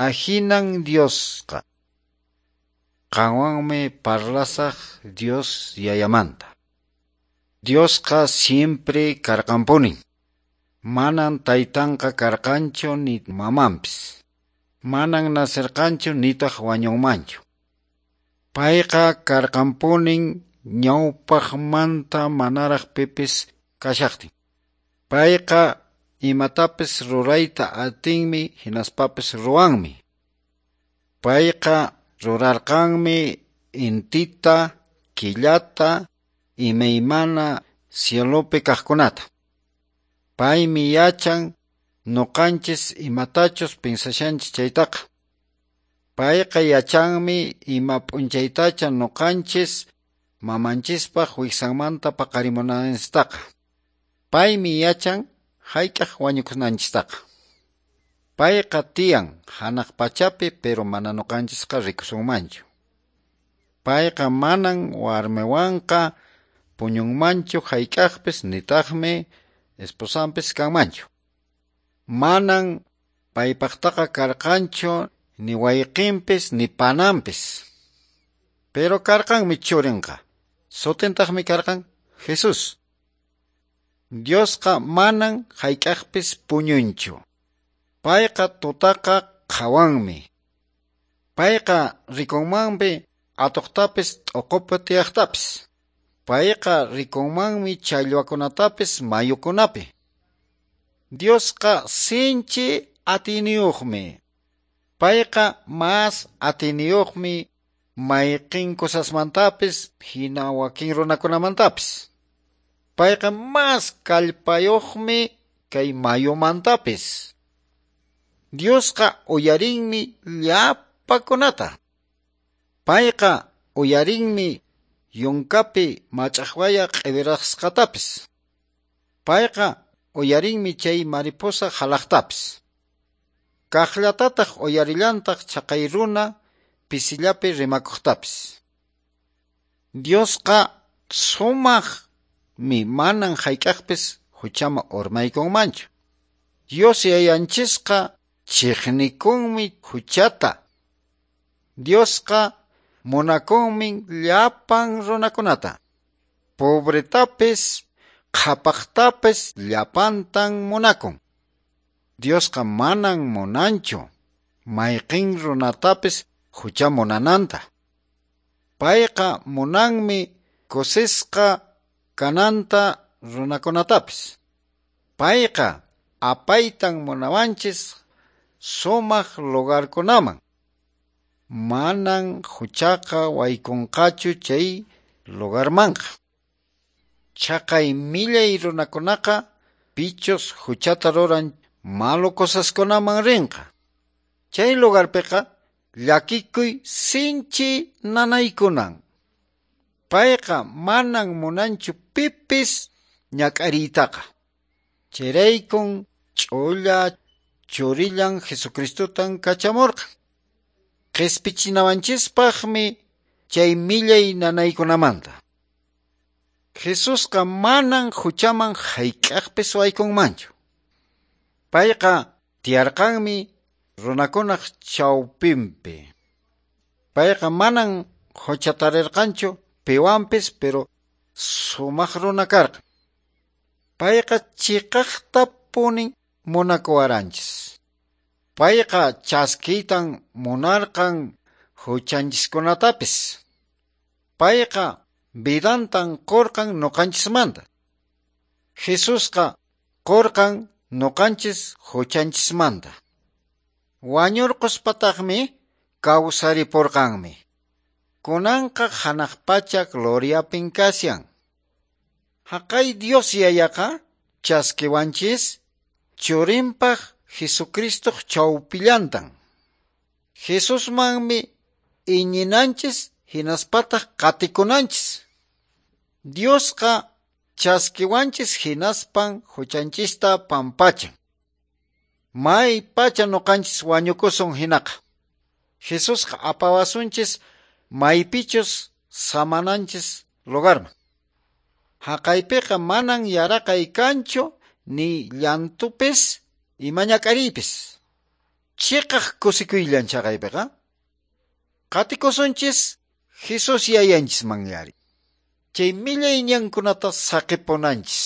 Ahinan Diosqa. Qanwanmi parlasaq Dios Yayamanta. Diosqa siempre karqanpunin. Manan taytanqa karqanchu ni mamanpis. Manan nacerqanchu nitaq wañunmanchu. Payqa karqanpunin ñawpaqmanta manaraq pipis kashaqtin. Payqa imatapis rurayta atinmi hinaspapis ruwanmi. Payqa rurarqanmi intita, killata, imaymana cielopi kaqkunata. Paymi yachan nuqanchis imatachus pinsashanchis chaytaqa. Payqa yachanmi ima p'unchaytacha nuqanchis mamanchispaq wiksanmanta paqarimunanchistaqa. Paymi yachan hayk'aq wañukunanchistaqa. Payqa tiyan hanaq pachapi, pero mana nuqanchisqa rikusunmanchu. Payqa manan warmiwanqa puñunmanchu hayk'aqpis nitaqmi esposanpis kanmanchu. Manan paypaqtaqa karqanchu ni wayqinpis ni pananpis. Pero karqanmi churinqa. Sutintaqmi karqan Jesús. Diosqa manan hayk'aqpis puñunchu. Payqa tutaqa qhawanmi. Payqa rikunmanmi atuqtapis t'uqupi tiyaqtapis. Payqa rikunmanmi challwakunatapis mayukunapi. Diosqa sinchi atiniyuqmi. Payqa mas atiniyuqmi mayqin cosasmantapis hina wakin runakunamantapis. Payqa mas kallpayuqmi kay mayumantapis. Diosqa uyarinmi llapakunata. Payqa uyarinmi yunkapi mach'aqwaya q'iwirasqatapis. Payqa uyarinmi chay mariposa halaqtapis. Kaqllatataq uyarillantaq chaqay runa pisillapi rimakuqtapis. Diosqa sumaqmi, manan hayk'aqpis huchama urmaykunmanchu. Dios Yayanchisqa chiqnikunmi huchata. Diosqa munakunmi llapan runakunata. Pobretapis, qhapaqtapis llapantan munakun. Diosqa manan munanchu mayqin runatapis hucha munananta. Payqa munanmi kusisqa kananta runakunatapis. Payqa apaytan munawanchis sumaq lugarkunaman. Manan huchaqa waykunqachu chay lugarmanqa. Chaqay millay runakunaqa pichus huchata ruran malo cosaskunaman rinqa. Chay lugarpiqa llakikuy sinchi nanaykunan. Payqa manan munanchu pipis ñak'ariytaqa. Chayraykun ch'ulla churillan Jesucristotan kachamurqan. Qispichinawanchispaqmi chay millay nanaykunamanta. Jesusqa manan huchaman hayk'aqpis waykunmanchu. Payqa tiyarqanmi runakunaq chawpinpi. Payqa manan huchatarirqanchu piwanpis, pero sumaq runa karqan. Payqa chiqaqtapunin munakuwaranchis. Payqa chaskiytan munarqan huchanchiskunatapis. Payqa vidantan qurqan nuqanchismanta. Jesusqa qurqan nuqanchis huchanchismanta. Wañurquspataqmi kawsaripurqanmi. Kunanqa hanaq pacha gloriapin kashan. Haqay Dios Yayaqa chaskiwanchis churinpaq Jesucristoq chawpillantan. Jesusmanmi iñinanchis hinaspataq qatikunanchis. Diosqa chaskiwanchis hinaspan huchanchista pampachan. May pacha nuqanchis wañukusun hinaqa. Jesusqa apawasunchis maypichus samananchis lugarman. Haqaypiqa manan yaraqay kanchu ni llantupis imañak'ariypis. Chiqaq kusikuyllan chaqaypiqa. Qatikusunchis Jesus yayanchis manyari. Chay millay ñankunata saqipunanchis.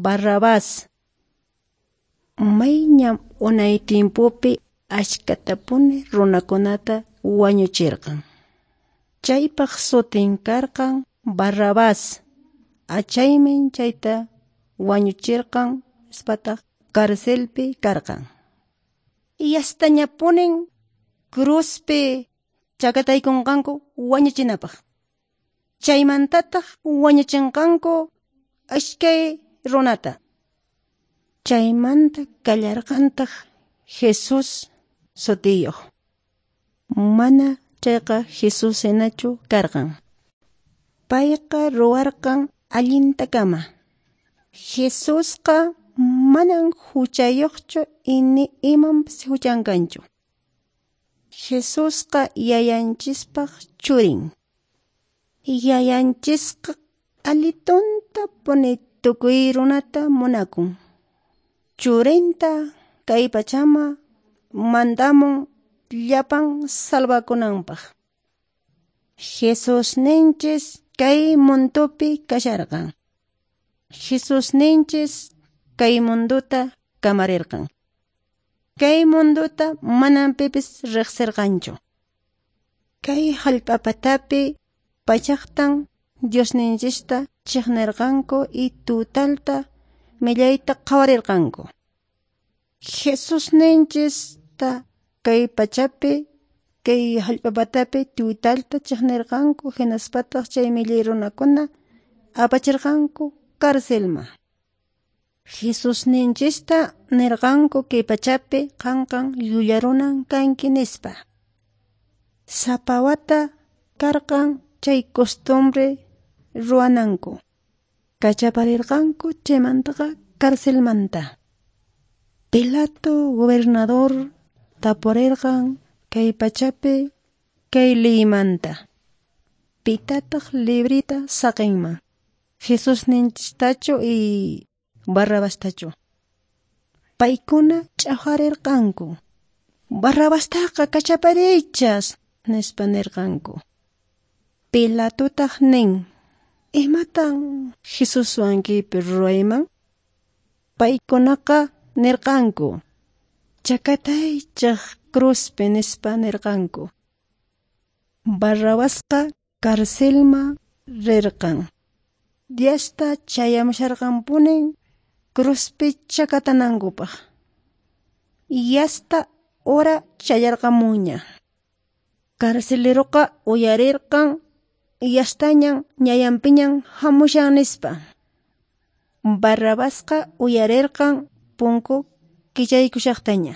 Barrabás. Mayñam unay timpupi achkatapuni runakunata wañuchirqan. Chaypaq sutin karqan Barrabás. Achaymi chayta wañuchirqan ispataq carcelpi karqan. Yastañapunin cruzpi chakataykunqanku wañuchinapaq. Chaymantataq wañuchinqanku iskay runata. Chaymanta kallarqantaq Jesús sutiyuq. Mana chayqa Jesús hinachu karqan. Payqa ruwarqan allintakama. Jesusqa manan huchayuqchu ni imanpas huchan kanchu. Jesusqa yayanchispaq churin. Yayanchisqa alituntapuni tukuy runata munakun. Churinta kay pachama mandamun llapan salvakunanpaq. Jesusninchis kay mundupi kasharqan. Jesusninchis kay munduta kamarirqan. Kay munduta manam pipis riqsirqanchu. Kay hallp'apatapi pachaqtan Diosninchista chiqnirqanku y tutalta millayta qhawarirqanku. Jesusninchista kay pachapi, kay hallp'a patapi tutalta chiqnirqanku, hinaspataq chay millay runakuna apachirqanku carcelman. Jesusninchista nirqanku kay pachapi qanqan llulla runan kanki nispa. Sapa wata karqan chay costumbre ruwananku. Kachaparirqanku chaymantaqa carcelmanta. Pilato gobernador tapurirqan kay pachapi kay leymanta. Pitataq librita saqinman? Jesusninchistachu y Barrabastachu? Paykuna ch'aqwarirqanku. Barrabastaqa kachapariychas, nispa nirqanku. Pilatotaq nin, imatan Jesuswan kaypi ruwayman? Paykunaqa nirqanku, chakataychaq cruzpi nispa nirqanku. Barrabasqa carcelman rirqan. Diasta chayamusharqanpunin cruzpi chakatanankupaq. Yasta hora chayarqamunña. Carceleroqa uyarirqan yastañan ñayanpiñan hamushan nispa. Barrabasqa uyarirqan punku kichaykushaqtaña.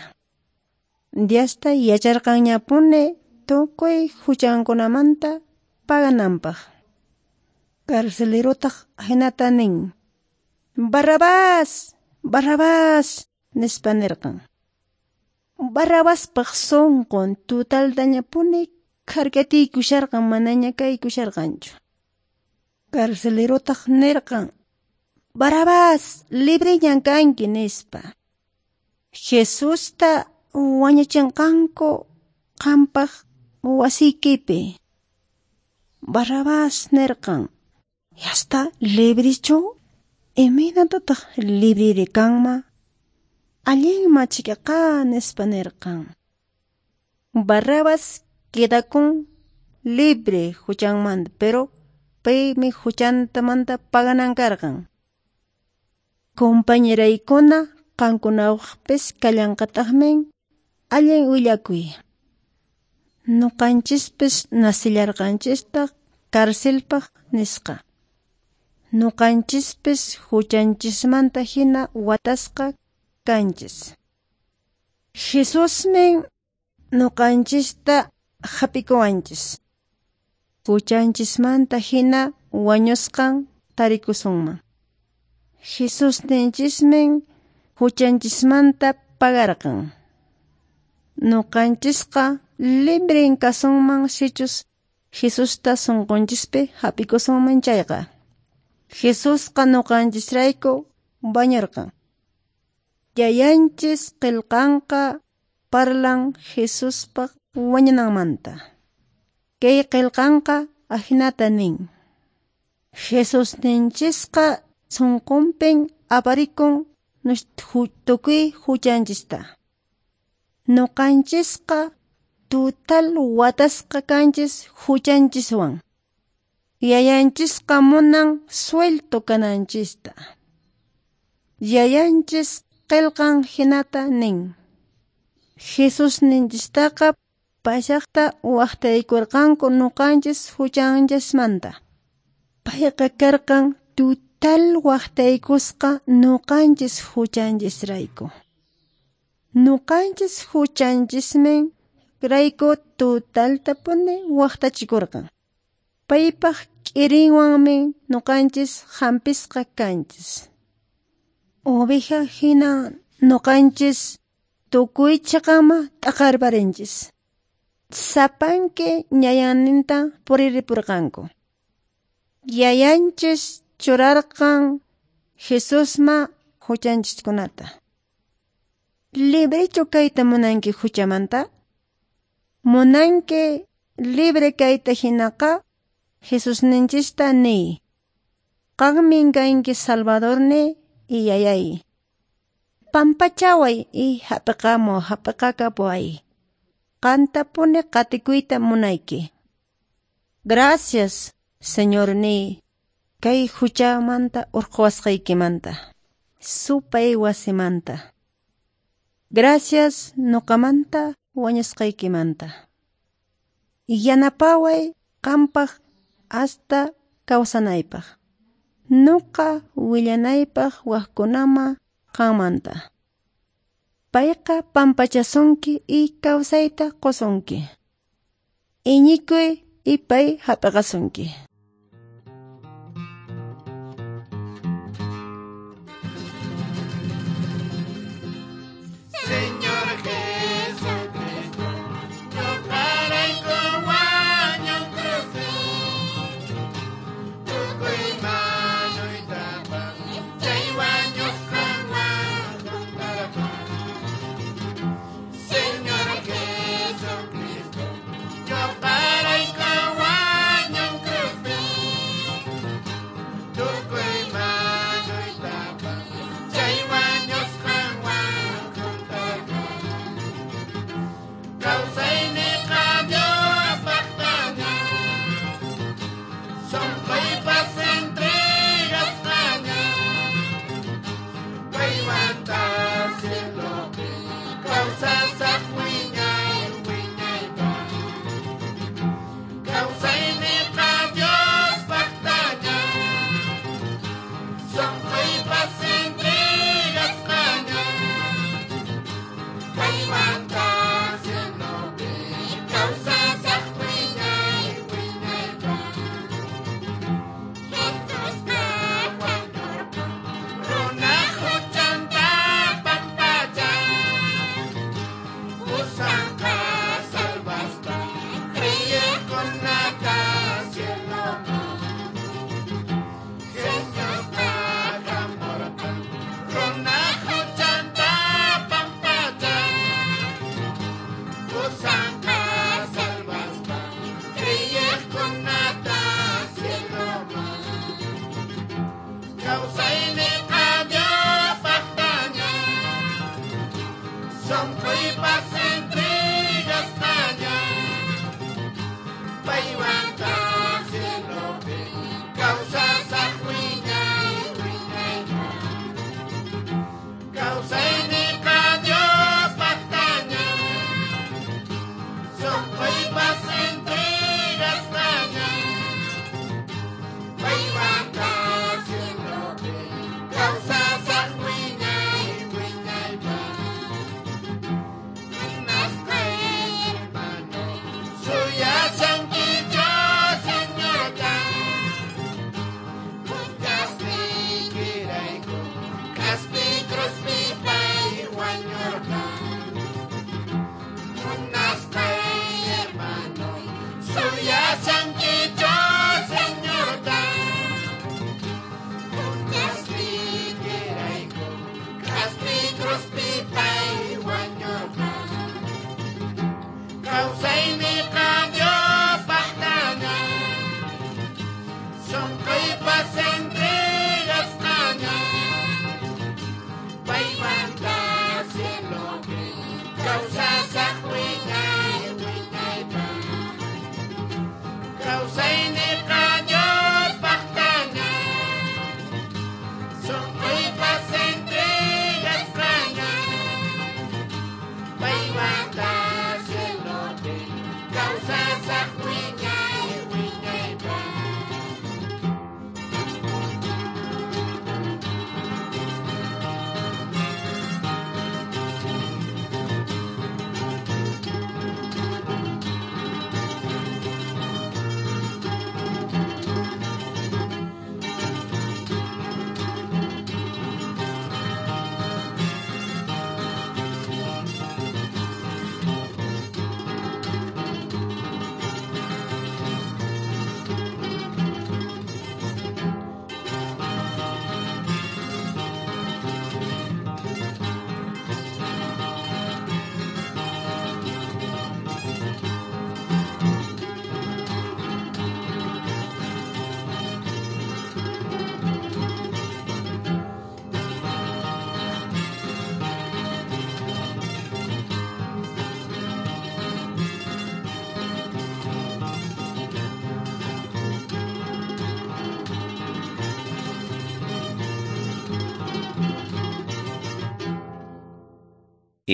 Diasta yacharqanñapuni tukuy huchankunamanta pagananpaq. Carcelerotaq hinata nin, Barrabás, Barrabás, nispa nirqan. Barrabaspaq sunqun tutaltañapuni kharkatiykusharqan manaña kaykusharqanchu. Carcelerotaq nirqan, Barrabás, libreñan kanki nispa. Jesusta wañuchinqanku qampaq wasiykipi. Barrabás nirqan, yasta librichu? Imaynatataq libriri kanman? Allinma chikaqa nispa nirqan. Barrabás quedakun libre huchanmanta, pero paymi huchantamanta paganan karqan. Compañeraykuna qankunawaqpis kallanqataqmi allin willakuy. Nuqanchispis nasillarqanchistaq carcelpaq nisqa. Nuqanchispis huchanchismanta hina watasqa kanchis. Jesusmi nuqanchista hap'ikuwanchis. Huchanchismanta hina wañusqan tarikusunman. Jesusninchismi huchanchismanta pagarqan. Nuqanchisqa libren kasunman sichus Jesusta sunqunchispi hap'ikusunman chayqa. Jesusqa nuqanchisrayku wañurqan. Yayanchis qillqanqa parlan Jesuspaq wañunanmanta. Kay qillqanqa ahinata nin. Jesusninchisqa sunqunpin aparikun tukuy huchanchista. Nuqanchisqa tutal watasqa kanchis huchanchiswan. Yayanchisqa munan suelto kananchista. Yayanchis qillqan hinata nin. Jesusninchistaqa pashaqta waqtaykurqanku nuqanchis huchanchismanta. Payqa karqan tutal waqtaykusqa nuqanchis huchanchisrayku. Nuqanchis huchanchismi rayku tutaltapuni waqtachikurqan. Paypaq k'irinwanmi nuqanchis hampisqa kanchis. Oveja hina nuqanchis tukuy chiqama t'aqarparinchis. Sapanki ñayanninta puriripurqanku. Yayanchis churarqan Jesusma huchanchiskunata. Librechu kayta munanki huchamanta? Munanki libre kayta hinaqa Jesusninchista niy. Qanmin kanki Salvadorni y yayay. Pampachaway y hap'iqamu hap'iqakapuway. Qantapuni qatikuyta munayki. Gracias, Señorni, kay huchamanta urquwasqaykimanta. supay wasimanta. Gracias nuqamanta wañusqaykimanta. Yanapaway qampaq hasta kawsanaypaq. Nuqa willanaypaq waqkunama qammanta. Payqa pampachasunki y kawsayta qusunki. Iñikuy y pay hap'iqasunki. Señor Jesucristo, ñuqarayku wañunkrupi, tukuy manuytapas chay wañusqanwan juntarqan. Señor Jesucristo, ñuqarayku wañunkrupi,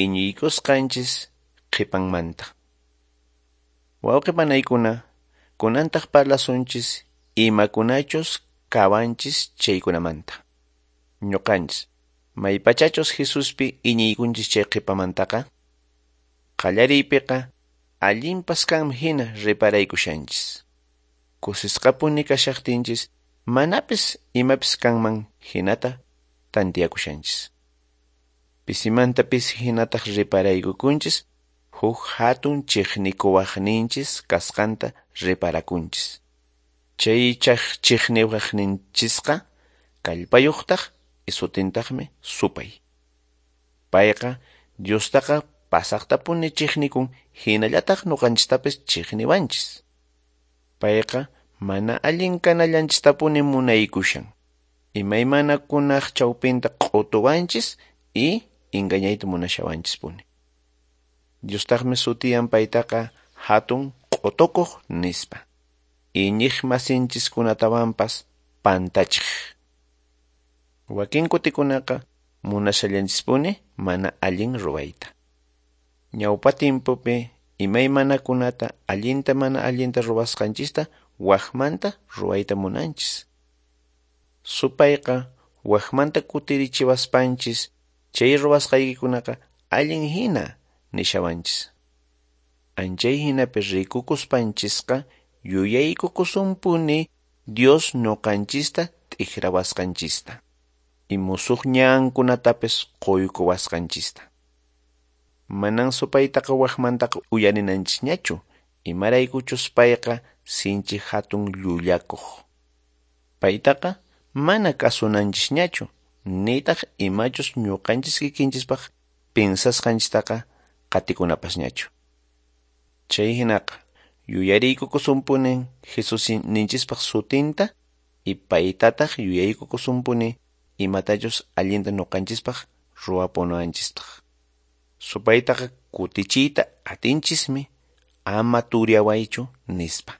iñiykusqanchis qhipanmanta. Wawqi panaykuna, kunantaq parlasunchis imakunachus kawanchis chaykunamanta. Ñuqanchis maypachachus Jesuspi iñiykunchis chay qhipamantaqa, qallariypiqa allinpas kanman hina reparaykushanchis. Kusisqapuni kashaqtinchis manapis imapis kanman hinata tantiyakushanchis. Pisimanta pisi hinataq reparaykukunchis huk hatun chiqnikuwaqninchis kasqanta reparakunchis. Chay chiqniwaqninchisqa kallpayuqtaq isutintaqmi supay. Payqa Diostaqa pasaqtapuni chiqnikun hinallataq ñuqanchistapis chiqniwanchis. Payqa mana allin kanallanchistapuni munaykushan. Imaymanakunaq chawpinta q'utuwanchis y engañayta munashawanchispuni. Diostaqmi sutiyan paytaqa hatun q'utukuq nispa. Iñiq masinchiskunatawanpas pantachiq. Wakin kutikunaqa munashallanchispuni mana allin ruwayta. Ñawpa timpupi imaymanakunata allinta mana allinta ruwasqanchista waqmanta ruwayta munanchis. Supayqa waqmanta kutirichiwaspanchis chay ruwasqaykikunaqa allin hina nishawanchis. Anchay hinapi rikukuspanchisqa yuyaykukusunpuni Dios ñuqanchista t'ikrawasqanchista y musuq ñankunatapis quykuwasqanchista. Manan supaytaqa waqmantaqa uyarinanchisñachu, imaraykuchus payqa sinchi hatun llullakuq. Paytaqa mana kasunanchisñachu, nitaq imachus ñuqanchis kikinchispaq pinsasqanchistaqa qatikunapasñachu. Chay hinaqa yuyariykukusunpuni Jesusninchispaq sutinta y paytataq yuyaykukusunpuni imatachus allinta ñuqanchispaq ruwapunawanchispaq. Supaytaqa kutichiyta atinchismi ama turyawaychu nispa.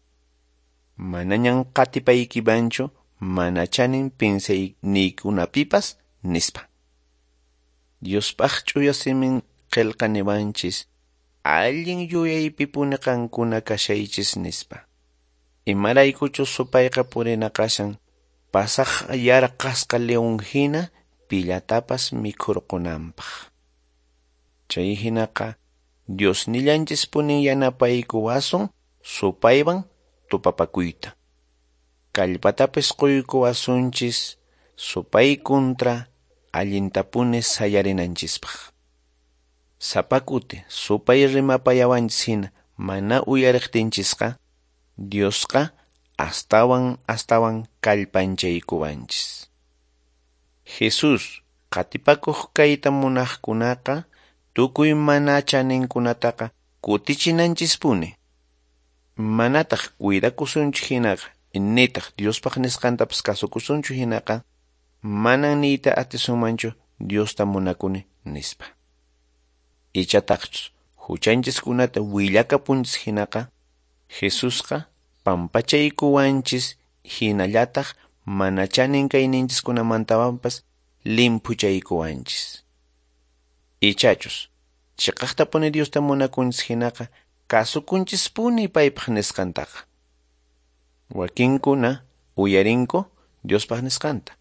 Manañan qatipaykimanchu mana chanin pinsayninkunapipas nispa. Diospaq ch'uya simin qillqa niwanchis allin yuyaypipuni qankuna kashaychis nispa. Imaraykuchus supayqa purina kashan pasaq yarqasqa león hina pillatapas mikhurqunanpaq. Chay hinaqa Diosnillanchispuni yanapaykuwasun supaywan tupapakuyta. Kallpatapis quykuwasunchis supay kontra allintapuni sayarinanchispaq. Sapa kuti supay rimapayawanchis hina mana uyariqtinchisqa Diosqa astawan astawan kallpanchaykuwanchis. Jesús qatipakuq kayta munaqkunaqa tukuy mana chaninkunataqa kutichinanchispuni. Manataq cuidakusunchu hinaqa nitaq Diospaq nisqantapas kasukusunchu hinaqa manan niyta atisunmanchu Diosta munakuni nispa. Ichataqchus huchanchiskunata willakapunchis hinaqa Jesusqa pampachaykuwanchis hinallataq mana chanin kayninchiskunamantawanpas limphuchaykuwanchis. Ichachus chiqaqtapuni Diosta munakunchis hinaqa kasukunchispuni paypaq nisqantaqa. Wakinkuna uyarinku Diospaq nisqanta.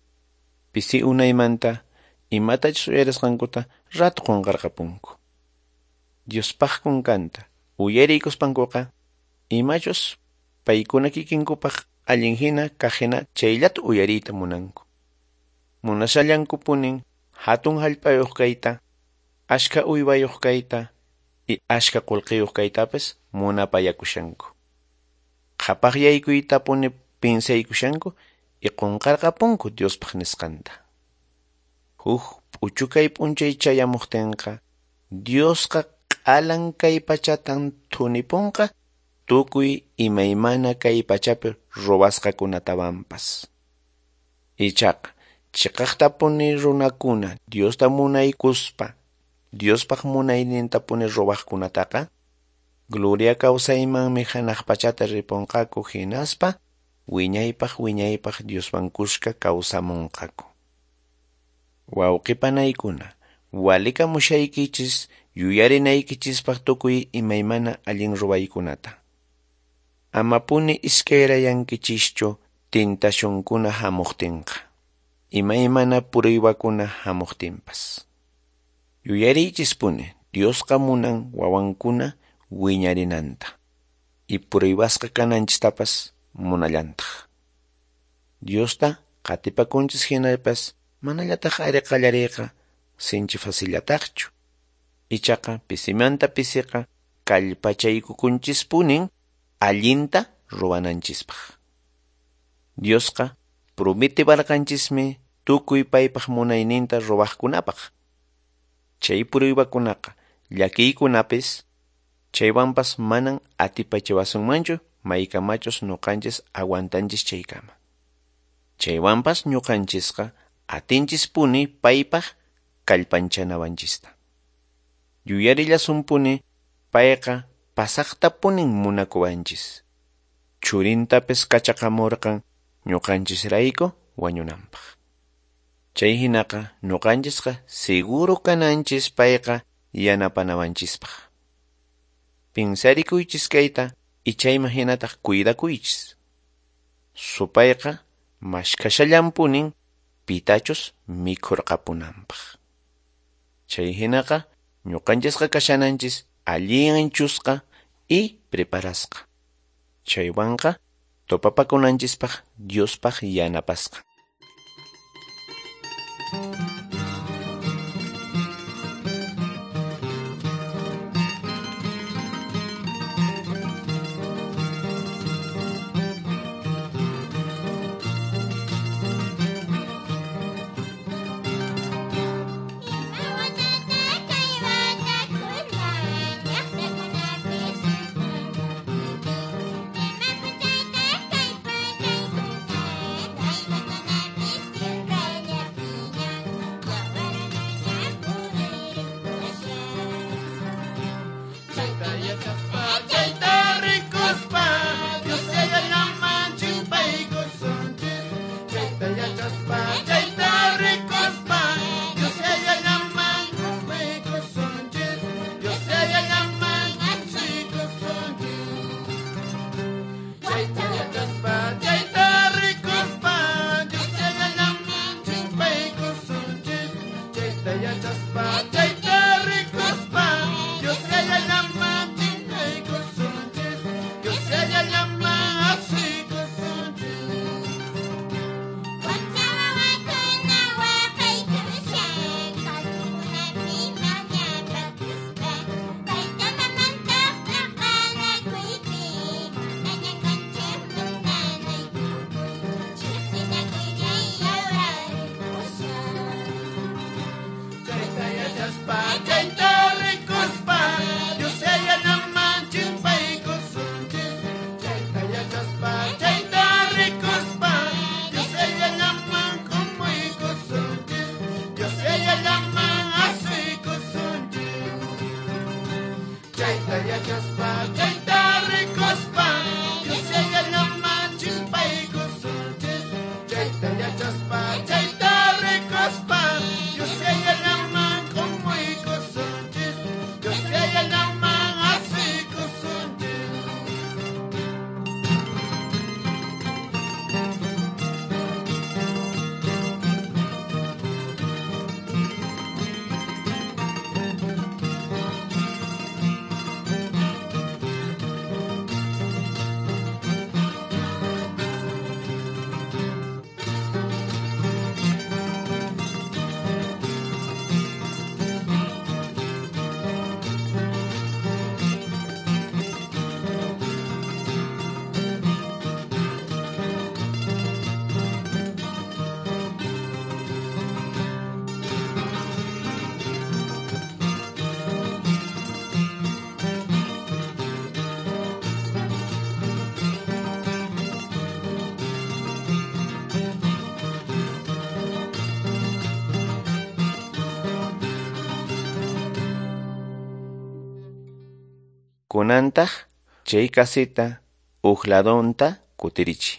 Pisi unaymanta imatachus uyarisqankuta rato qunqarqapunku. Diospaq kunkanta uyariykuspankuqa imachus paykuna kikinkupaq allin hina kaq hina chayllata uyariyta munanku. Munashallankupunin hatun hallp'ayuq kayta, ashka uywayuq kayta y ashka qullqiyuq kaytapis munapayakushanku. Qhapaqyaykuytapuni pinsaykushanku y qunqarqapunku Diospaq nisqanta. Huk p'uchukay p'unchay chayamuqtinqa Diosqa q'alan kay pachatan thunipunqa tukuy imaymana kay pachapi ruwasqakunatawanpas. Ichaqa chiqaqtapuni runakuna Diosta munaykuspa Diospaq munaynintapuni ruwaqkunataqa gloria kawsaymanmi hanaq pachata ripunqaku hinaspa wiñaypaq wiñaypaq Dioswan kuska kawsamunqaku. Wawqipanaykuna, walikamushaykichis yuyarinaykichispaq tukuy imaymana allin ruwaykunata. Amapuni iskayrayankichischu tentacionkuna hamuqtinqa, imaymana pruebakuna hamuqtinpas. Yuyariychispuni Diosqa munan wawankuna wiñarinanta y pruebasqa kananchistapas munallantaq. Diosta qatipakunchis hinapas manallataq ari qallariyqa sinchi facillataqchu. Ichaqa pisimanta pisiqa kallpachaykukunchispunin allinta ruwananchispaq. Diosqa prometiwarqanchismi tukuy paypaq munayninta ruwaqkunapaq. Chay pruebakunaqa llakiykunapis chaywanpas manan atipachiwasunmanchu maykamachus ñuqanchis aguantanchis chaykama. Chaywanpas ñuqanchisqa atinchispuni paypaq kallpanchanawanchista. Yuyarillasunpuni payqa pasaqtapunin munakuwanchis. Churintapis kachaqamurqan ñuqanchisrayku wañunanpaq. Chay hinaqa ñuqanchisqa seguro kananchis payqa yanapanawanchispaq. Pinsarikuychis kayta y chayman hinataq cuidakuychis. Supayqa mashkashallanpunin pitachus mikhurqapunanpaq. Chay hinaqa ñuqanchisqa kashananchis allinchusqa y preparasqa. Chaywanqa topapakunanchispaq Diospaq yanapasqa. Kunantaq chay casita uq ladunta kutirichiy.